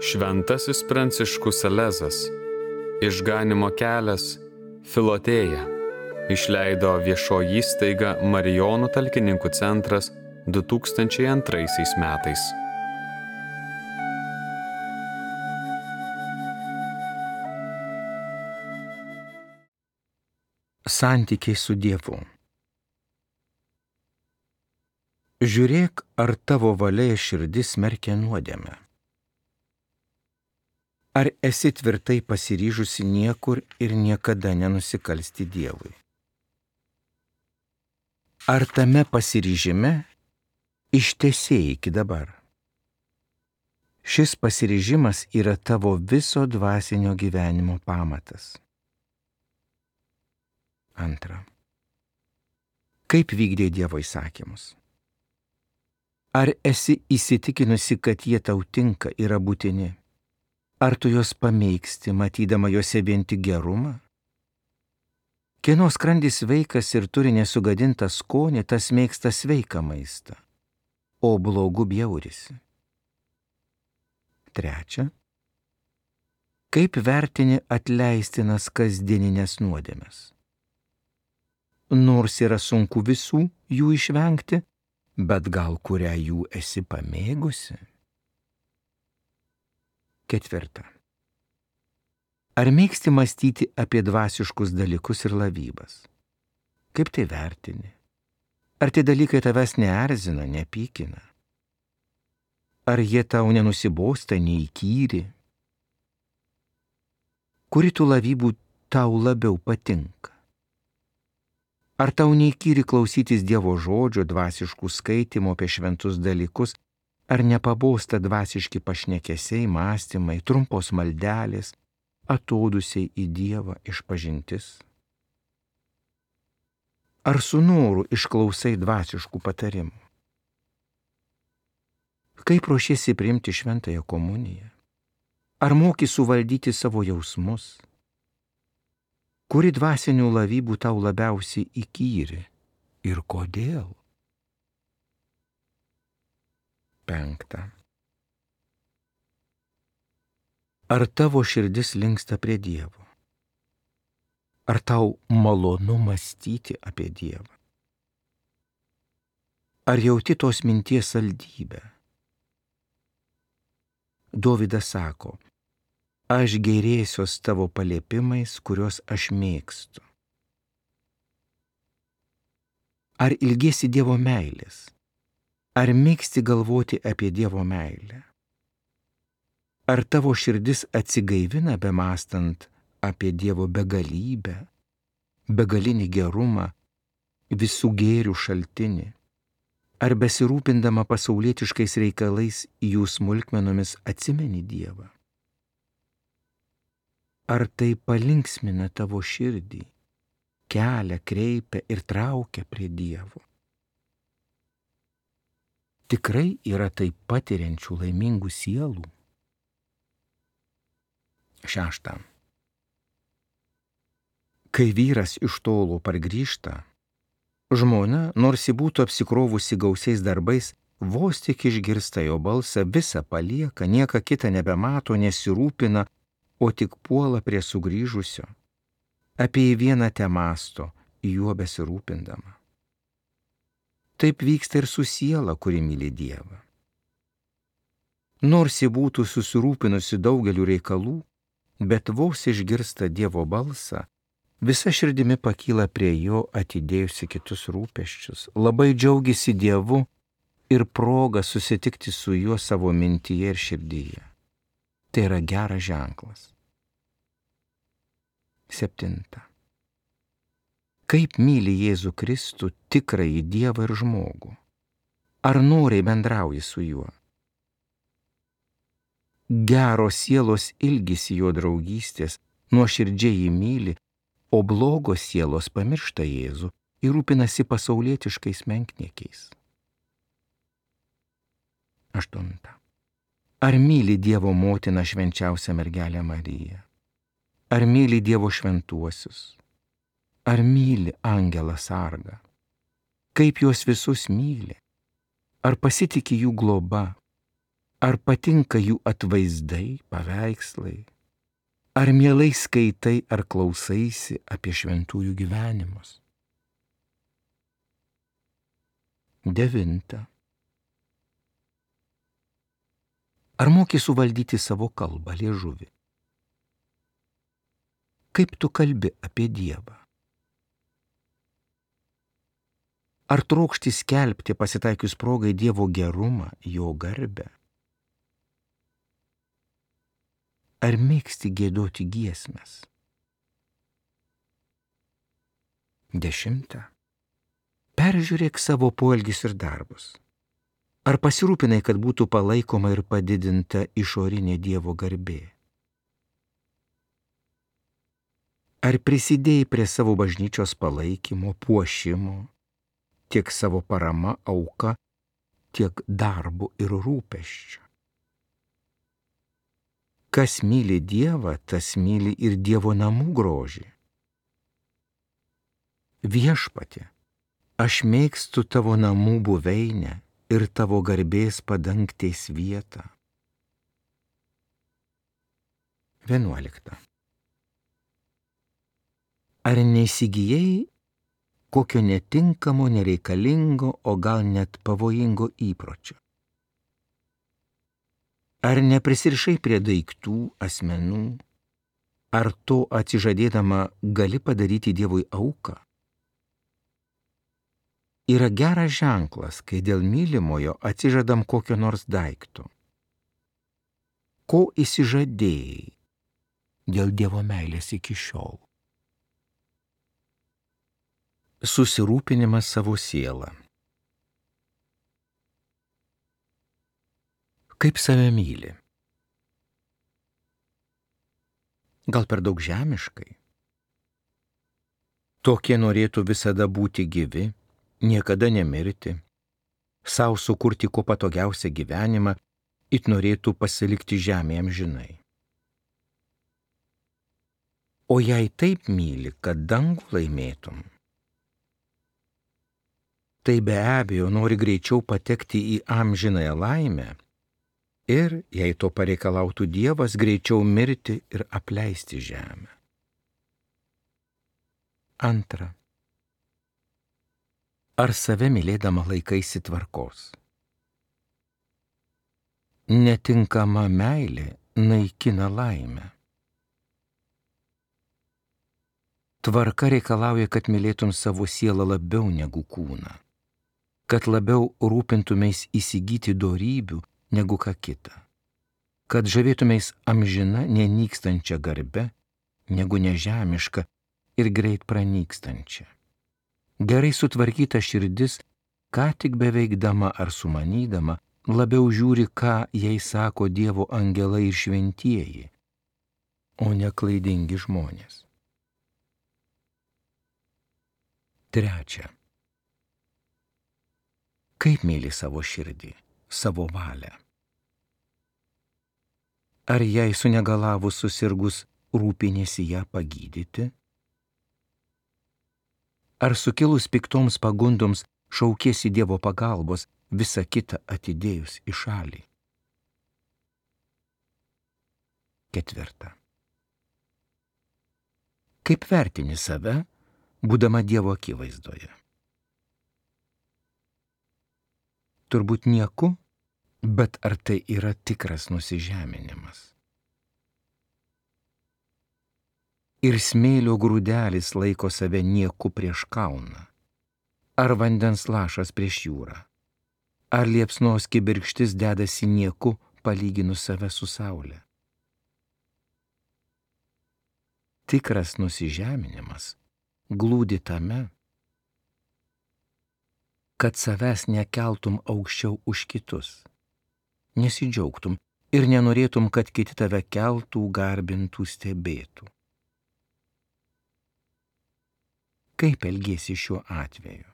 Šventasis Pranciškus Salezas, Išganymo kelias, Filotėja, išleido viešoji įstaiga Marijonų talkininkų centras 2002 metais. Santykiai su Dievu. Žiūrėk, ar tavo valia ir širdis smerkia nuodėmę. Ar esi tvirtai pasiryžusi niekur ir niekada nenusikalsti Dievui? Ar tame pasiryžime ištesėjai iki dabar? Šis pasiryžimas yra tavo viso dvasinio gyvenimo pamatas. Antra. Kaip vykdė Dievo įsakymus? Ar esi įsitikinusi, kad jie tau tinka, yra būtini? Ar tu juos pamėgsti, matydama juose vien tik gerumą? Kieno skrandis sveikas ir turi nesugadintą skonį, tas mėgsta sveiką maistą, o blogų bjaurisi. Trečia. Kaip vertini atleistinas kasdieninės nuodėmes? Nors yra sunku visų jų išvengti, bet gal kurią jų esi pamėgusi? Ketvirta. Ar mėgsti mąstyti apie dvasiškus dalykus ir lavybas? Kaip tai vertini? Ar tie dalykai tavęs neerzina, nepykina? Ar jie tau nenusibosta, neįkyri? Kuri tų lavybų tau labiau patinka? Ar tau neįkyri klausytis Dievo žodžio, dvasiškų skaitymų apie šventus dalykus, ar nepabosta dvasiški pašnekesiai, mąstymai, trumpos maldelės, atodusiai į Dievą išpažintis? Ar su noru išklausai dvasiškų patarimų? Kaip ruošiesi priimti šventąją komuniją? Ar moki suvaldyti savo jausmus? Kuri dvasinių lavybų tau labiausiai įkyri ir kodėl? Penkta. Ar tavo širdis linksta prie Dievo? Ar tau malonu mąstyti apie Dievą? Ar jauti tos minties saldybę? Dovydas sako, aš gėrėsiuos tavo paliepimais, kuriuos aš mėgstu. Ar ilgiesi Dievo meilės? Ar mėgsti galvoti apie Dievo meilę? Ar tavo širdis atsigaivina bemąstant apie Dievo begalybę, begalinį gerumą, visų gėrių šaltinį? Ar besirūpindama pasaulietiškais reikalais jų smulkmenomis atsimeni Dievą? Ar tai palinksmina tavo širdį, kelia, kreipia ir traukia prie Dievo? Tikrai yra taip patiriančių laimingų sielų? Šešta. Kai vyras iš tolo pargrįžta, žmona, nors ji būtų apsikrovusi gausiais darbais, vos tik išgirsta jo balsą, visą palieka, nieką kitą nebemato, nesirūpina, o tik puola prie sugrįžusio. Apie jį vieną temąsto, juo besirūpindama. Taip vyksta ir su siela, kuri myli Dievą. Nors ji būtų susirūpinusi daugeliu reikalų, bet vos išgirsta Dievo balsą, visa širdimi pakyla prie jo, atidėjusi kitus rūpesčius, labai džiaugiasi Dievu ir proga susitikti su juo savo mintyje ir širdyje. Tai yra geras ženklas. Septinta. Kaip myli Jėzų Kristų, tikrąjį Dievą ir žmogų? Ar noriai bendrauji su juo? Geros sielos ilgisi jo draugystės, nuoširdžiai jį myli, o blogos sielos pamiršta Jėzų ir rūpinasi pasaulietiškais menkniekiais. Aštunta. Ar myli Dievo motiną švenčiausią mergelę Mariją? Ar myli Dievo šventuosius? Ar myli angelą sargą? Kaip juos visus myli? Ar pasitiki jų globa? Ar patinka jų atvaizdai, paveikslai? Ar mielai skaitai ar klausaisi apie šventųjų gyvenimus? 9. Ar moki suvaldyti savo kalbą, liežuvį? Kaip tu kalbi apie Dievą? Ar trokšti skelbti pasitaikius progai Dievo gerumą, jo garbę? Ar mėgsti giedoti giesmes? 10. Peržiūrėk savo poelgius ir darbus. Ar pasirūpinai, kad būtų palaikoma ir padidinta išorinė Dievo garbė? Ar prisidėjai prie savo bažnyčios palaikymo, puošimo, tiek savo parama, auka, tiek darbu ir rūpesčiu? Kas myli Dievą, tas myli ir Dievo namų grožį. Viešpatie, aš mėgstu tavo namų buveinę ir tavo garbės padangtės vietą. 11. Ar neįsigijai kokio netinkamo, nereikalingo, o gal net pavojingo įpročio? Ar neprisirišai prie daiktų, asmenų? Ar to atsižadėdama gali padaryti Dievui auką? Yra geras ženklas, kai dėl mylimojo atsižadam kokio nors daikto. Ko įsižadėjai dėl Dievo meilės iki šiol? Susirūpinimas savo sielą. Kaip save myli? Gal per daug žemiškai? Tokie norėtų visada būti gyvi, niekada nemirti, sau sukurti kuo patogiausią gyvenimą, it norėtų pasilikti žemėje amžinai. O jei taip myli, kad dangų laimėtum, tai be abejo nori greičiau patekti į amžinąją laimę ir, jei to pareikalautų Dievas, greičiau mirti ir apleisti žemę. 2. Ar save mylėdama laikaisi tvarkos? Netinkama meilė naikina laimę. Tvarka reikalauja, kad mylėtum savo sielą labiau negu kūną, kad labiau rūpintumės įsigyti dorybių negu ką kita, kad žavėtumės amžina nenykstančia garbe negu nežemiška ir greit pranykstančia. Gerai sutvarkyta širdis, ką tik beveikdama ar sumanydama, labiau žiūri, ką jai sako Dievo angelai ir šventieji, o ne klaidingi žmonės. 3. Kaip myli savo širdį, savo valią? Ar jai sunegalavus susirgus rūpinėsi ją pagydyti? Ar sukilus piktoms pagundoms šaukiesi Dievo pagalbos, visą kitą atidėjus į šalį? 4. Kaip vertini save, būdama Dievo akivaizdoje? Turbūt nieku, bet ar tai yra tikras nusižeminimas? Ir smėlio grūdelis laiko save nieku prieš kalną, ar vandens lašas prieš jūrą, ar liepsnos kibirkštis dedasi nieku palyginus save su saule? Tikras nusižeminimas glūdi tame, kad savęs nekeltum aukščiau už kitus, nesidžiaugtum ir nenorėtum, kad kiti tave keltų, garbintų, stebėtų. Kaip elgiesi šiuo atveju?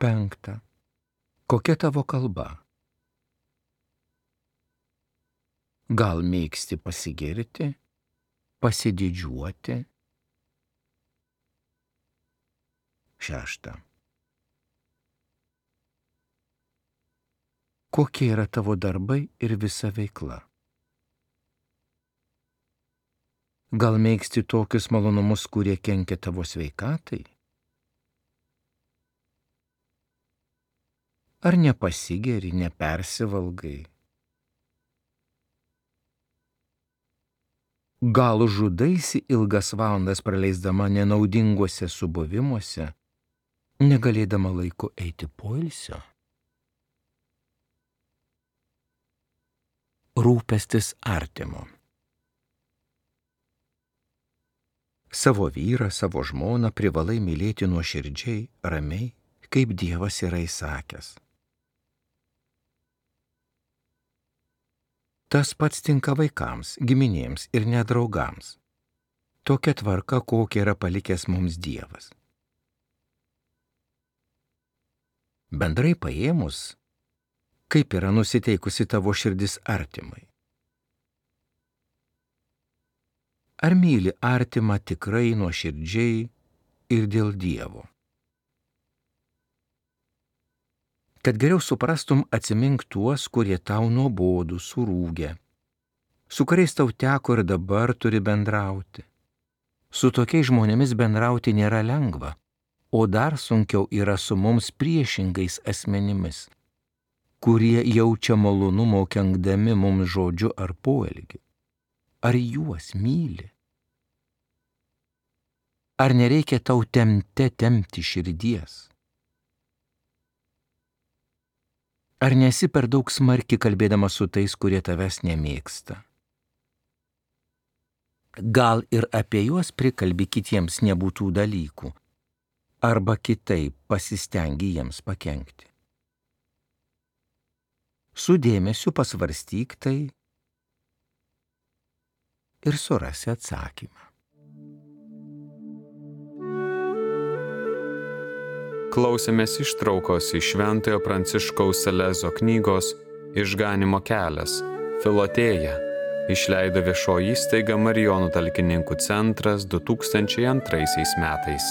5. Kokia tavo kalba? Gal mėgsti pasigirti, pasididžiuoti? 6. Kokie yra tavo darbai ir visa veikla? Gal mėgsti tokius malonumus, kurie kenkia tavo sveikatai? Ar nepasigeri, nepersivalgai? Gal žudaisi ilgas valandas praleisdama nenaudinguose subuvimuose, negalėdama laiko eiti poilsio? Rūpestis artimu. Savo vyrą, savo žmoną privalai mylėti nuoširdžiai, ramiai, kaip Dievas yra įsakęs. Tas pats tinka vaikams, giminėms ir net draugams. Tokia tvarka, kokia yra palikęs mums Dievas. Bendrai paėmus, kaip yra nusiteikusi tavo širdis artimai? Ar myli artimą tikrai nuoširdžiai ir dėl Dievo? Kad geriau suprastum, atsimink tuos, kurie tau nuobodų, surūgę, su kuriais tau teko ir dabar turi bendrauti. Su tokiais žmonėmis bendrauti nėra lengva, o dar sunkiau yra su mums priešingais asmenimis, kurie jaučia malonumo kenkdami mums žodžiu ar poelgiu. Ar juos myli? Ar nereikia tau tempti širdies? Ar nesi per daug smarkiai kalbėdama su tais, kurie tavęs nemėgsta? Gal ir apie juos prikalbi kitiems nebūtų dalykų, arba kitaip pasistengi jiems pakenkti. Su dėmesiu pasvarstyk tai ir surasi atsakymą. Klausėmės ištraukos iš Šventojo Pranciškaus Salezo knygos Išganymo kelias – Filotėja, išleido viešoji įstaiga Marijonų talkininkų centras 2002 metais.